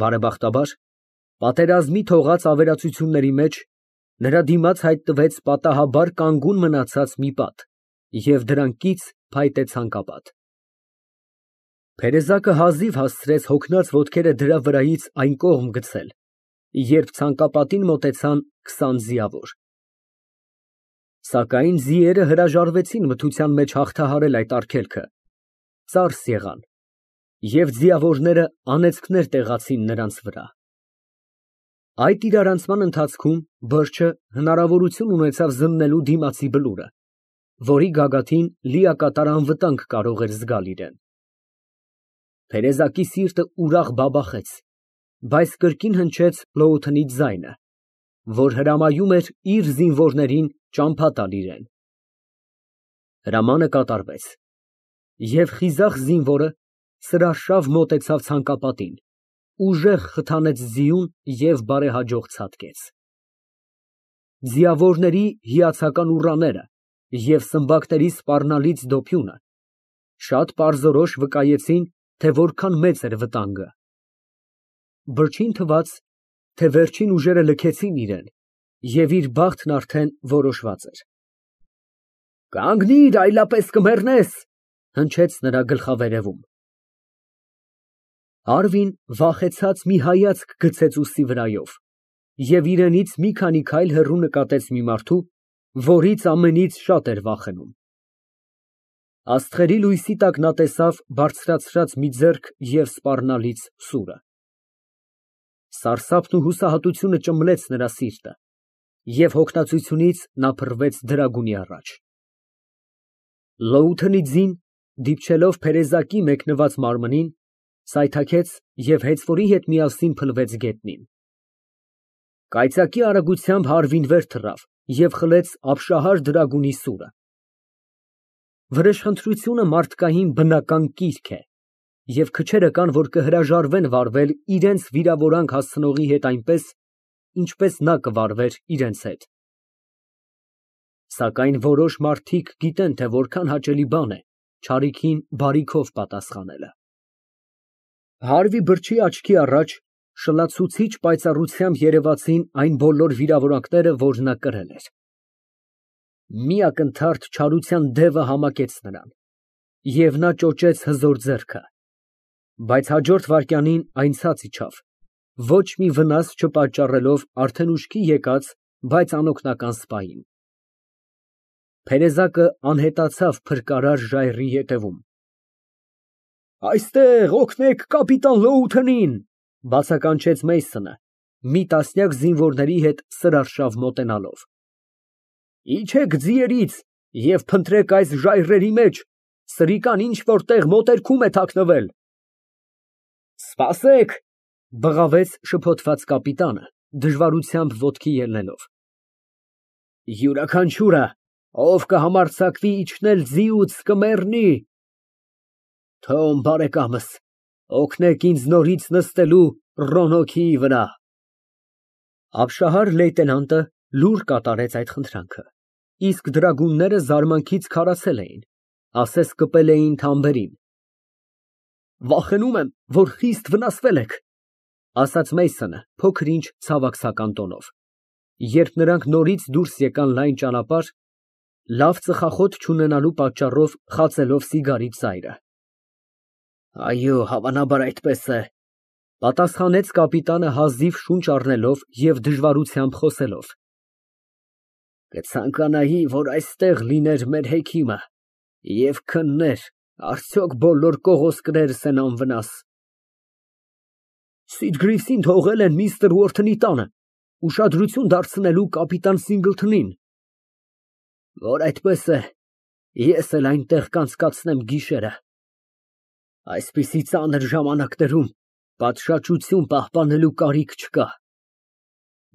Բարեբախտաբար, պատերազմի թողած ավերածությունների մեջ նրա դիմաց հայտնվեց պատահաբար կանգուն մնացած մի պատ և դրան կից փայտե ցանկապատ։ Փերեզակը հազիվ հասցրեց հոգնած ոտքերը դրա վրայից այն կողմ գցել, երբ ցանկապատին մոտեցան 20 ձիավոր։ Սակայն ձիերը հրաժարվեցին մթության մեջ հաղթահարել այդ արգելքը, ծարս եղան, և ձիավորները անեծքներ տեղացին նրանց վրա։ Այդ իրարանցման ընթացքում բրջը հնարավորություն ունեցավ զննելու դիմացի բլուրը, որի գագաթին լիակատար անվտանգ կարող էր զգալ իրեն։ Փերեզակի սիրտը ուրախ բաբախեց, բայց կրկին հնչեց Պլոութենի ձայնը, որ հրամայում էր իր զինվորներին ճամփա տալ իրեն։ Հրամանը կատարվեց, և խիզախ զինվորը սրաշավ մոտեցավ ցանկապատին, ուժեղ խթանեց ձիուն և բարեհաջող ցատկեց։ Ձիավորների հիացական ուռաները և սմբակների սպառնալից դոփյունը շատ պարզորոշ վկայեցին, թե որքան մեծ էր վտանգը։ Բրջին թվաց, թե վերջին ուժերը լքեցին իրեն, և իր բախտն արդեն որոշված էր։ «Կանգնիր, այլապես կմեռնես», ֊ հնչեց նրա գլխավերևում։ Արվին վախեցած մի հայացք գցեց ուսի վրայով և իրենից մի քանի քայլ հեռու նկատեց մի մարդու, որից ամենից շատ էր վախենում։ Աստղերի լույսի տակ նա տեսավ բարձրացրած մի ձեռք և սպառնալից սուրը։ Սարսափն ու հուսահատությունը ճմլեց նրա սիրտը, և հոգնածությունից նա փռվեց դրագունի առաջ։ Լոութենի ձին, դիպչելով Փերեզակի մեկնված մարմնին, սայթաքեց և հեծվորի հետ միասին փլվեց գետնին։ Կայծակի արագությամբ Հարվին վեր թռավ և խլեց ապշահար դրագունի սուրը։ Վրեժխնդրությունը մարդկային բնական կիրք է, և քչերը կան, որ կհրաժարվեն վարվել իրենց վիրավորանք հասցնողի հետ այնպես, ինչպես նա կվարվեր իրենց հետ։ Սակայն որոշ մարդիկ գիտեն, թե որքան հաճելի բան է չարիքին բարիքով պատասխանելը։ Հարվի բրջի աչքի առաջ շլացուցիչ պայծառությամբ երևացին այն բոլոր վիրավորանքները, որ նա կրել էր։ Մի ակնթարթ չարության դևը համակեց նրան, և նա ճոճեց հզոր ձեռքը, բայց հաջորդ վայրկյանին այն ցած իջավ, ոչ մի վնաս չպատճառելով արդեն ուշքի եկած, բայց անօգնական սպային։ Փերեզակը անհետացավ փրկարար ժայռի ետևում։ «Այստեղ օգնեք կապիտան Լոութենին», ֊ բացականչեց Մեյսոնը, մի տասնյակ զինվորների հետ սրարշավ մոտենալով։ «Իջեք ձիերից և փնտրեք այս ժայռերի մեջ, սրիկան ինչ֊որ տեղ մոտերքում է թաքնվել»։ «Սպասեք», ֊ բղավեց շփոթված կապիտանը, դժվարությամբ ոտքի ելնելով։ «Յուրաքանչյուրը, ով կհամարձակվի իջնել ձիուց, կմեռնի։ Թոմ բարեկամս, օգնեք ինձ նորից նստելու ռոնոքիի վրա»։ Ապշահար լեյտենանտը լուր կատարեց այդ խնդրանքը, իսկ դրագունները զարմանքից քարացել էին, ասես կպել էին թամբերին։ «Վախենում եմ, որ խիստ վնասվել եք», ֊ ասաց Մեյսոնը փոքր֊ինչ ցավակցական տոնով, երբ նրանք նորից դուրս եկան լայն ճանապարհ, լավ ծխախոտ չունենալու պատճառով խածելով սիգարի ծայրը։ «Այո, հավանաբար այդպես է», ֊ պատասխանեց կապիտանը հազիվ շունչ առնելով և դժվարությամբ խոսելով։ «Կցանկանայի, որ այստեղ լիներ մեր հեքիմը և քններ, արդյոք բոլոր կողոսկներս են անվնաս»։ «Սիտգրիվսին թողել են միստր Ուորթնի տանը, ուշադրություն դարձնելու կապիտան Սինգլթոնին»։ «Որ այդպես է, ես էլ այնտեղ կանցկացնեմ գիշերը։ Այսպիսի ծանր ժամանակներում պատշաճություն պահպանելու կարիք չկա։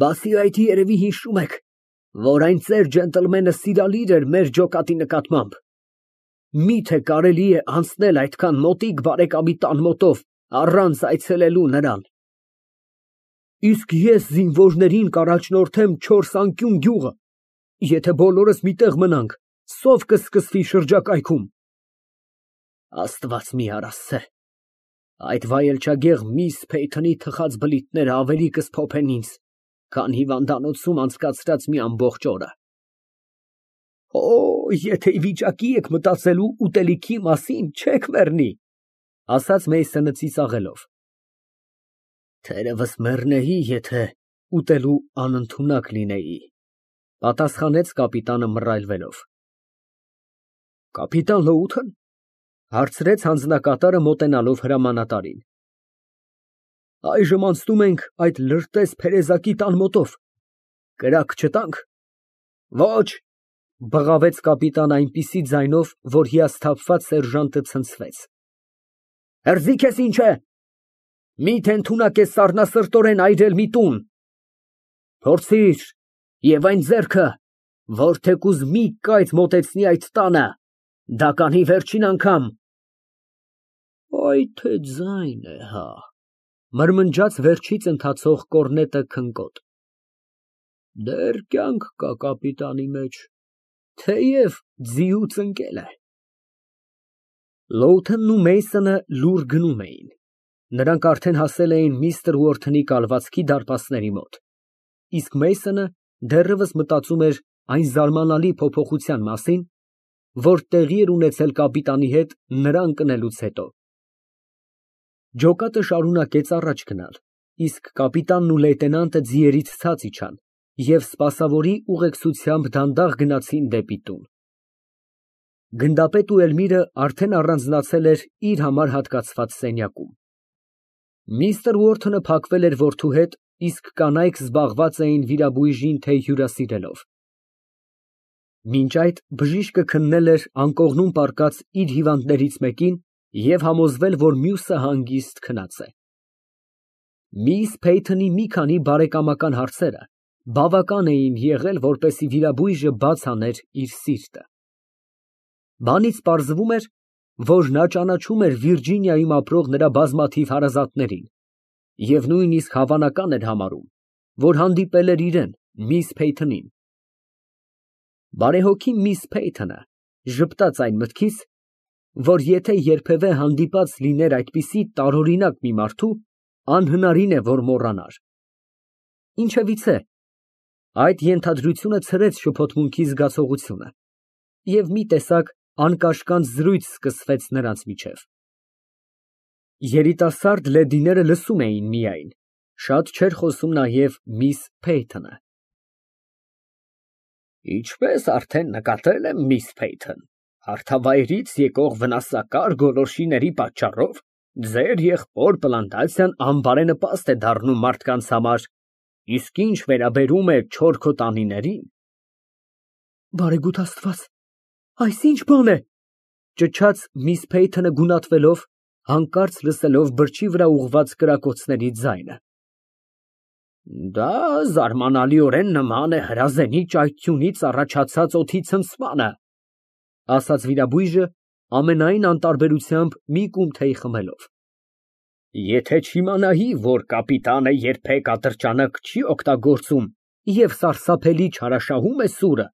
Բացի այդ, երևի հիշում եք, որ այն ծեր ջենտլմենը սիրալիր էր մեր ջոկատի նկատմամբ։ Մի՞թե կարելի է անցնել այդքան մոտիկ բարեկամի տան մոտով առանց այցելելու նրան։ Իսկ ես զինվորներին կառաջնորդեմ չորս անկյուն գյուղը, եթե բոլորս մի տեղ մնանք, սով կսկսվի շրջակայքում։ Աստված մի արասցե, Այդ վայելչագեղ միս Փեյթոնի թխած բլիթները ավելի կսփոփեն ինձ, քան հիվանդանոցում անցկացրած մի ամբողջ օրը։ Օ, եթե վիճակի եք մտածելու ուտելիքի մասին, չեք մեռնի, ասաց Մեյսոնը ծիծաղելով։ Թերևս մեռնեի, եթե ուտելու անընդունակ լինեի, պատասխանեց կապիտանը մռայլվելով։ Կապիտան Լոութեն, հարցրեց հանձնակատարը մոտենալով հրամանատարին։ Այժմ անցնում ենք այդ լրտես փերեզակի տան մոտով, կրակ չտանք։ Ոչ, բղավեց կապիտան այնպիսի ձայնով, որ հիասթափված սերժանտը ցնցվեց։ Հրզի քեզ ինչ է։ Միթե ընդունակ ես սառնասրտորեն այրել մի տուն։ Փորձիր, եւ այն ձեռքը, որ թեկուզ մի կայծ մոտեցնի այդ տանը, դա կանի վերջին անգամ։ Այ թե ձայն է, հա, մրմնջաց վերջից ընթացող կորնետը քնկոտ։ Դեռ կյանք կա կապիտանի մեջ, թեև ձիուց ընկել է։ Լոութենն ու Մեյսոնը լուռ գնում էին։ Նրանք արդեն հասել էին միստր Ուորթոնի կալվածքի դարպասների մոտ, իսկ Մեյսոնը դեռևս մտածում էր այն զարմանալի փոփոխության մասին, որ տեղի էր ունեցել կապիտանի հետ նրա ընկնելուց հետո։ Ջոկատը շարունակեց առաջ գնալ, իսկ կապիտանն ու լեյտենանտը ձիերից ցած իջան և սպասավորի ուղեկցությամբ դանդաղ գնացին դեպի տուն։ Գնդապետ ու Էլմիրը արդեն առանձնացել էր իր համար հատկացված սենյակում։ Միստր Ուորթոնը փակվել էր որդու հետ, իսկ կանայք զբաղված էին վիրաբույժին թեյ հյուրասիրելով։ Մինչ այդ բժիշկը քննել էր անկողնում պառկած իր հիվանդներից մեկին և համոզվել, որ մյուսը հանգիստ քնած է։ Միս Փեյթոնի մի քանի բարեկամական հարցերը բավական էին եղել, որպեսզի վիրաբույժը բաց աներ իր սիրտը։ Բանից պարզվում էր, որ նա ճանաչում էր Վիրջինիայում ապրող նրա բազմաթիվ հարազատներին և նույնիսկ հավանական էր համարում, որ հանդիպել էր իրեն, միս Փեյթոնին։ Բարեհոգի միս Փեյթոնը ժպտաց այն մտքից, որ եթե երբևէ հանդիպած լիներ այդպիսի տարօրինակ մի մարդու, անհնարին է, որ մոռանար։ Ինչևիցե, այդ ենթադրությունը ցրեց շփոթմունքի զգացողությունը, և մի տեսակ անկաշկանդ զրույց սկսվեց նրանց միջև։ Երիտասարդ լեդիները լսում էին միայն, շատ չէր խոսում նաև միս Փեյթոնը։ Ինչպես արդեն նկատել եմ, միս Փեյթոն, հարթավայրից եկող վնասակար գոլորշիների պատճառով ձեր եղբոր պլանտացիան անբարենպաստ է դառնում մարդկանց համար, իսկ ինչ վերաբերում է չորքոտանիներին… Բարեգութ Աստված, այս ի՞նչ բան է, ճչաց միս Փեյթոնը գունատվելով, հանկարծ լսելով բրջի վրա ուղղված կրակոցների ձայնը։ Դա զարմանալիորեն նման է հրազենի ճայթյունից առաջացած օդի ցնցմանը, ասաց վիրաբույժը ամենայն անտարբերությամբ մի կում թեյ խմելով։ Եթե չիմանայի, որ կապիտանը երբեք ատրճանակ չի օգտագործում և սարսափելի չարաշահում է սուրը,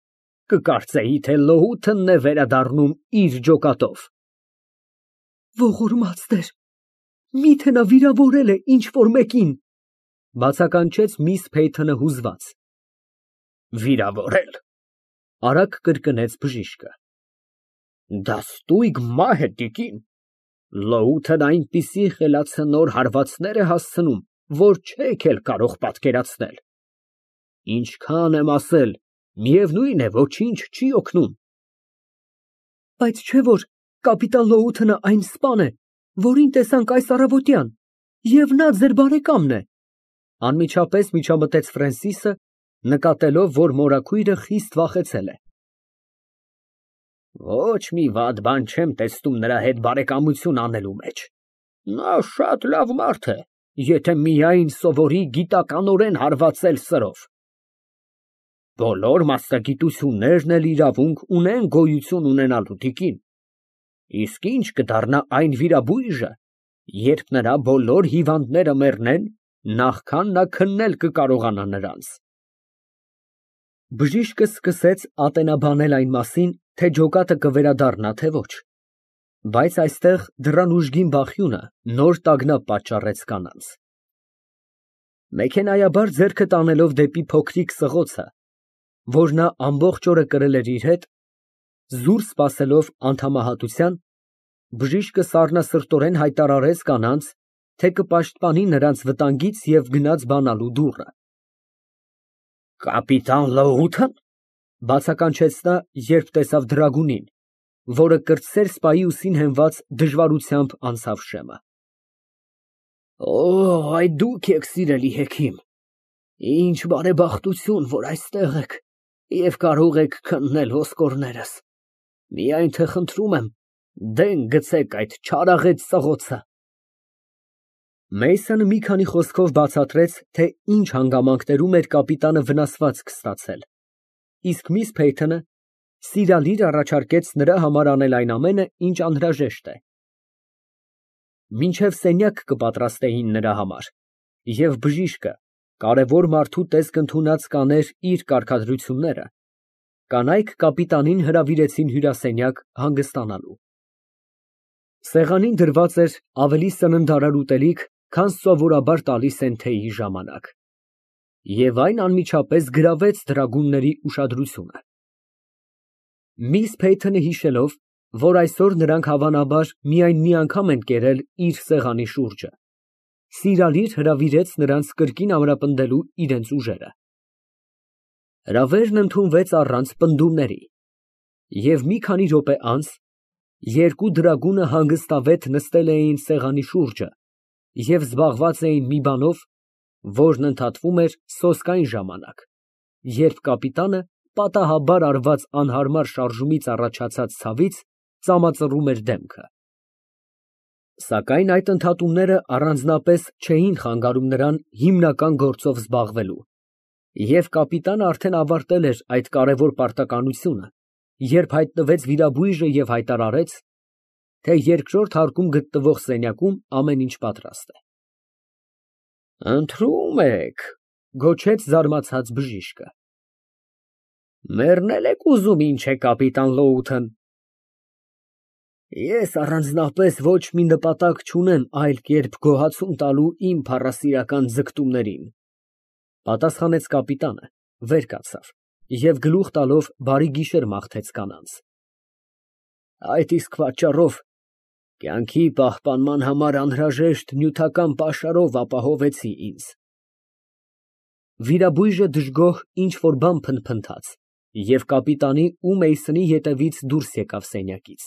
կկարծեի, թե Լոութենն է վերադառնում իր ջոկատով։ Ողորմած Տեր, միթե նա վիրավորել է ինչ֊որ մեկին, բացականչեց միս Փեյթոնը հուզված։ Վիրավորել, արագ կրկնեց բժիշկը։ Դա ստույգ մահ է, տիկին։ Լոութեն այնպիսի խելացնոր հարվածներ է հասցնում, որ չեք էլ կարող պատկերացնել։ Ինչքան եմ ասել, միևնույն է, ոչինչ չի օգնում։ Բայց չէ՞ որ կապիտան Լոութենը այն սպան է, որին տեսանք այս առավոտյան, և նա ձեր բարեկամն է, անմիջապես միջամտեց Ֆրենսիսը, նկատելով, որ մորաքույրը խիստ վախեցել է։ Ոչ մի վատ բան չեմ տեսնում նրա հետ բարեկամություն անելու մեջ։ Նա շատ լավ մարդ է, եթե միայն սովորի գիտականորեն հարվածել սրով։ Բոլոր մասնագիտություններն էլ իրավունք ունեն գոյություն ունենալու, տիկին։ Իսկ ինչ կդառնա այն վիրաբույժը, երբ նրա բոլոր հիվանդները մեռնեն, նախքան նա քննել կկարողանա նրանց։ Բժիշկը սկսեց ատենաբանել այն մասին, թե ջոկատը կվերադառնա, թե ոչ։ Բայց այստեղ դռան ուժգին բախյունը նոր տագնապ պատճառեց կանանց։ Մեքենայաբար ձեռքը տանելով դեպի փոքրիկ սղոցը, որ նա ամբողջ օրը կրել էր իր հետ, զուր սպասելով անդամահատության, բժիշկը սառնասրտորեն հայտարարեց կանանց, թե կպաշտպանի նրանց վտանգից և գնաց բանալու դուռը։ Կապիտան Լոութն, բացականչեց նա, երբ տեսավ դրագունին, որը կրտսեր սպայի ուսին հենված դժվարությամբ անցավ շեմը։ Այդ դուք եք, սիրելի հեքիմ, ինչ բարեբախտություն, որ այստեղ եք և կարող եք քննել ոսկորներս, միայն թե խնդրում եմ, դեն գցեք այդ չարաղետ սղոցը։ Մեյսոնը մի քանի խոսքով բացատրեց, թե ինչ հանգամանքներում էր կապիտանը վնասվածք ստացել, իսկ միս Փեյթոնը սիրալիր առաջարկեց նրա համար անել այն ամենը, ինչ անհրաժեշտ է։ Մինչև սենյակ կպատրաստեին նրա համար, և բժիշկը կարևոր մարդու տեսք ընդունած կաներ իր կարգադրությունները, կանայք կապիտանին հրավիրեցին հյուրասենյակ հանգստանալու։ Սեղանին դրված էր ավելի սննդարար ուտելիք, քան սովորաբար տալիս են թեյի ժամանակ, և այն անմիջապես գրավեց դրագունների ուշադրությունը։ Միս Փեյթոնը հիշելով, որ այսօր նրանք հավանաբար միայն մի անգամ են կերել իր սեղանի շուրջը, սիրալիր հրավիրեց նրանց կրկին ամրապնդելու իրենց ուժերը։ Հրավերն ընդունվեց առանց պնդումների, և մի քանի րոպե անց երկու դրագունը հանգստավետ նստել էին սեղանի շուրջը և զբաղված էին մի բանով, որն ընդհատվում էր սոսկային ժամանակ, երբ կապիտանը պատահաբար արված անհարմար շարժումից առաջացած ցավից ծամածռում էր դեմքը։ Սակայն այդ ընդհատումները առանձնապես չէին խանգարում նրան հիմնական գործով զբաղվելու, և կապիտանը արդեն ավարտել էր այդ կարևոր պարտականությունը, երբ հայտնվեց վիրաբույժը և հայտարարեց, թե երկրորդ հարկում գտնվող սենյակում ամեն ինչ պատրաստ է։ Ընթրում եք, գոչեց զարմացած բժիշկը։ Մեռնել եք ուզում, ինչ է, կապիտան Լոութն։ Ես առանձնապես ոչ մի նպատակ չունեմ այլ կերպ գոհացում տալու իմ փառասիրական ձգտումներին, պատասխանեց կապիտանը, վեր կացավ և գլուխ տալով բարի գիշեր մաղթեց կանանց։ Այդ իսկ պատճառով կյանքի պահպանման համար անհրաժեշտ նյութական պաշարով ապահովեցի ինձ։ Վիրաբույժը դժգոհ ինչ֊որ բան փնթփնթաց, և կապիտանի ու Մեյսոնի ետևից դուրս եկավ սենյակից։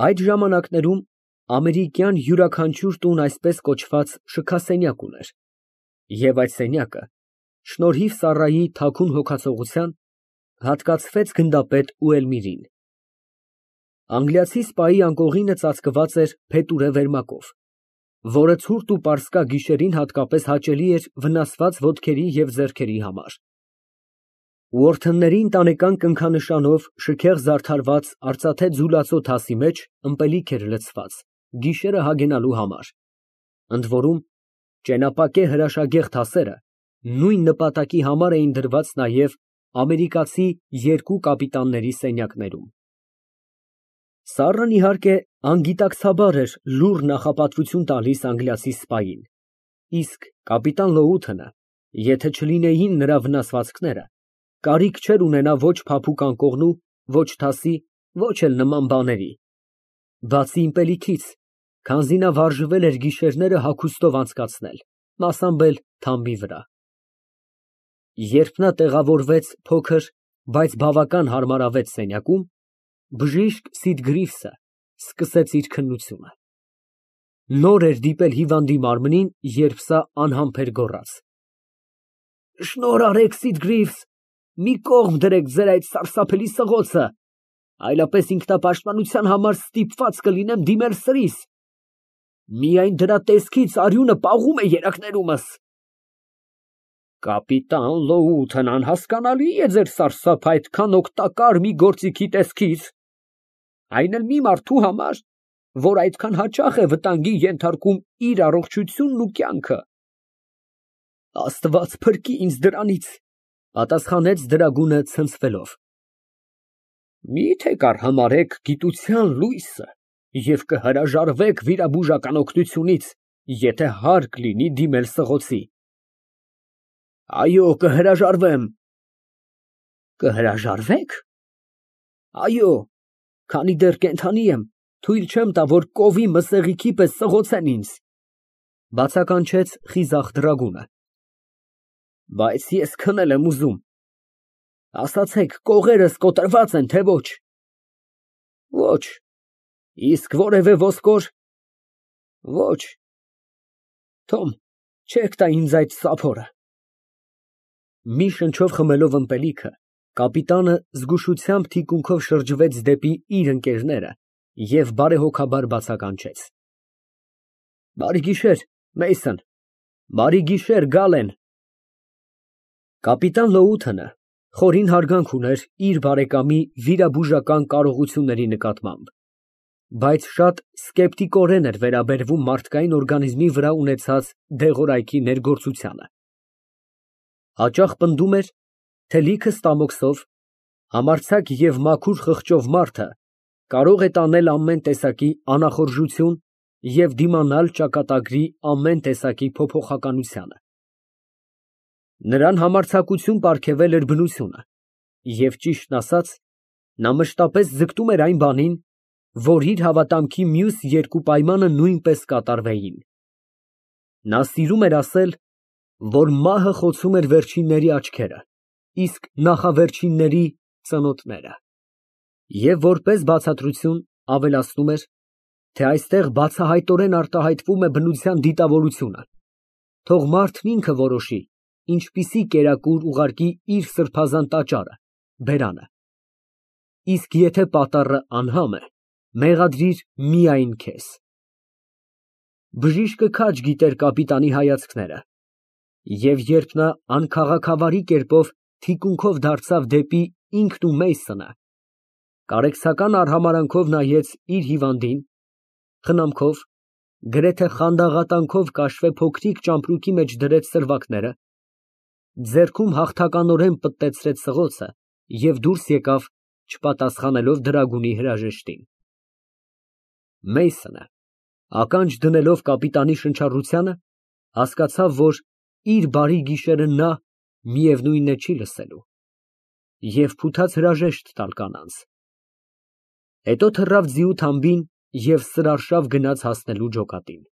Այդ ժամանակներում ամերիկյան յուրաքանչյուր տուն այսպես կոչված շքասենյակ ուներ, և այդ սենյակը, շնորհիվ Սառայի թաքուն հոգացողության, հատկացվեց գնդապետ Ուելմիրին։ Անգլիացի սպայի անկողինը ծածկված էր փետուրե վերմակով, որը ցուրտ ու պարսկա գիշերին հատկապես հաճելի էր վնասված ոտքերի և ձեռքերի համար։ Ուորթնների ընտանեկան կնքանշանով շքեղ զարդարված արծաթե ձուլածո թասի մեջ ըմպելիք էր լցված գիշերը հագենալու համար, ընդ որում ճենապակե հրաշագեղ թասերը նույն նպատակի համար էին դրված նաև ամերիկացի երկու կապիտանների սենյակներում։ Սառն, իհարկե, անգիտակցաբար էր լուռ նախապատվություն տալիս անգլիացի սպային, իսկ կապիտան Լոութը, եթե չլինեին նրա վնասվածքները, կարիք չէր ունենա ոչ փափուկ անկողնու, ոչ թասի, ոչ էլ նման բաների, բացի ըմպելիքից, քանզի նա վարժվել էր գիշերները հագուստով անցկացնել, մասամբ էլ թամբի վրա։ Երբ նա տեղավորվեց փոքր, բայց բավական հարմարավետ սենյակում, բժիշկ Սիդգրիվսը սկսեց իր քննությունը։ Նոր էր դիպել հիվանդի մարմնին, երբ սա անհամբեր գոռաց. Շնորհ արեք, Սիդգրիվս, մի կողմ դրեք ձեր այդ սարսափելի սղոցը, այլապես ինքնապաշտպանության համար ստիպված կլինեմ դիմել սրիս։ Միայն դրա տեսքից արյունը պաղում է երակներումս։ Կապիտան Լոութն, անհասկանալի է ձեր սարսափը այդքան օգտակար մի գործիքի տեսքից, այն էլ մի մարդու համար, որ այդքան հաճախ է վտանգի ենթարկում իր առողջությունն ու կյանքը։ Աստված փրկի ինձ դրանից, պատասխանեց դրագունը ցնցվելով։ Մի՞թե կառհամարհեք գիտության լույսը և կհրաժարվեք վիրաբուժական օգնությունից, եթե հարկ լինի դիմել սղոցի։ Այո, կհրաժարվեմ։ Կհրաժարվե՞ք։ Այո, քանի դեռ կենդանի եմ, թույլ չեմ տա, որ կովի մսեղիքի պես սղոցեն ինձ, բացականչեց խիզախ դրագունը։ Բայց ես քնել եմ ուզում։ Ասացեք, կողերս կոտրված են, թե ոչ։ Ոչ։ Իսկ որևէ ոսկոր։ Ոչ։ Թոմ, չեք տա ինձ այդ սափորը։ Մի շնչով խմելով ըմպելիքը, կապիտանը զգուշությամբ թիկունքով շրջվեց դեպի իր ընկերները և բարեհոգաբար բացականչեց. Բարի գիշեր, Մեյսոն, բարի գիշեր, Գալեն։ Կապիտան Լոութոնը խորին հարգանք ուներ իր բարեկամի վիրաբուժական կարողությունների նկատմամբ, բայց շատ սկեպտիկորեն էր վերաբերվում մարդկային օրգանիզմի վրա ունեցած դեղորայքի ներգործությանը։ Հաճախ պնդում էր, թե լիքը ստամոքսով, համարձակ և մաքուր խղճով մարդը կարող է տանել ամեն տեսակի անախորժություն և դիմանալ ճակատագրի ամեն տեսակի փոփոխականությանը։ Նրան համարձակություն պարգևել էր բնությունը, և ճիշտն ասած, նա մշտապես ձգտում էր այն բանին, որ իր հավատամքի մյուս երկու պայմանը նույնպես կատարվեին։ Նա սիրում էր ասել, որ մահը խոցում էր վերջինների աչքերը, իսկ նախավերջինների ծնոտները, և որպես բացատրություն ավելացնում էր, թե այստեղ բացահայտորեն արտահայտվում է բնության դիտավորությունը, թող մարդն ինքը որոշի, ինչպիսի կերակուր ուղարկի իր սրբազան տաճարը, բերանը, իսկ եթե պատառը անհամ է, մեղադրիր միայն քեզ։ Բժիշկը քաջ գիտեր կապիտանի հայացքները, և երբ նա անքաղաքավարի կերպով թիկունքով դարձավ դեպի ինքն ու Մեյսոնը, կարեկցական արհամարհանքով նայեց իր հիվանդին, խնամքով, գրեթե խանդաղատանքով կաշվե փոքրիկ ճամպրուկի մեջ դրեց սրվակները, ձեռքում հաղթականորեն պտտեցրեց սղոցը և դուրս եկավ, չպատասխանելով դրագունի հրաժեշտին։ Մեյսոնը, ականջ դնելով կապիտանի շնչառությանը, հասկացավ, որ իր բարի գիշերը նա, միևնույն է, չի լսելու, և փութաց հրաժեշտ տալ կանանց։ Հետո թռավ ձիու թամբին և սրարշավ գնաց հասնելու ջոկատին։